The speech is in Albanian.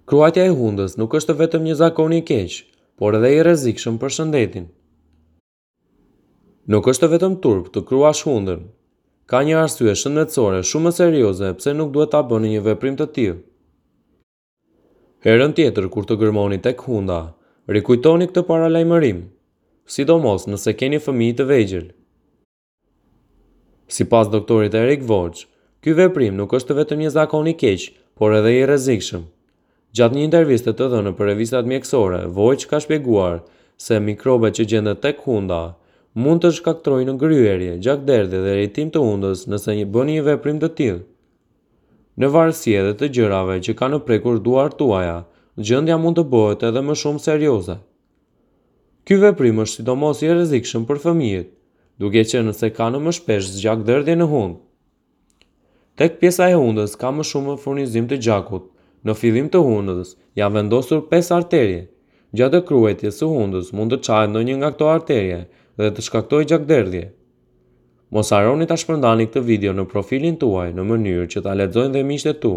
Kruajtja e hundës nuk është vetëm një zakon i keq, por edhe i rrezikshëm për shëndetin. Nuk është vetëm turp të kruash hundën. Ka një arsye shëndetësore shumë më serioze pse nuk duhet ta bëni një veprim të tillë. Herën tjetër kur të gërmoni tek hunda, rikujtoni këtë paralajmërim, sidomos nëse keni fëmijë të vegjël. Sipas doktorit Erik Voch, ky veprim nuk është vetëm një zakon i keq, por edhe i rrezikshëm. Gjatë një interviste të dhënë për revistat mjekësore, Voch ka shpjeguar se mikrobet që gjenden tek hunda mund të shkaktojnë gërryerje, gjakderdhje dhe irritim të hundës nëse bëni një veprim të tillë. Në varësi edhe të gjërave që kanë prekur duart tuaja, gjendja mund të bëhet edhe më shumë serioze. Ky veprim është sidomos i rrezikshëm për fëmijët, duke qenë se kanë më shpesh gjakderdhje në hundë. Tek pjesa e hundës ka më shumë furnizim të gjakut. Në fillim të hundës janë vendosur 5 arterie. Gjatë kruajtjes së hundës mund të çahet ndonjë nga këto arterie dhe të shkaktojë gjakderdhje. Mos harroni ta shpërndani këtë video në profilin tuaj në mënyrë që ta lexojnë dhe miqtë e tu.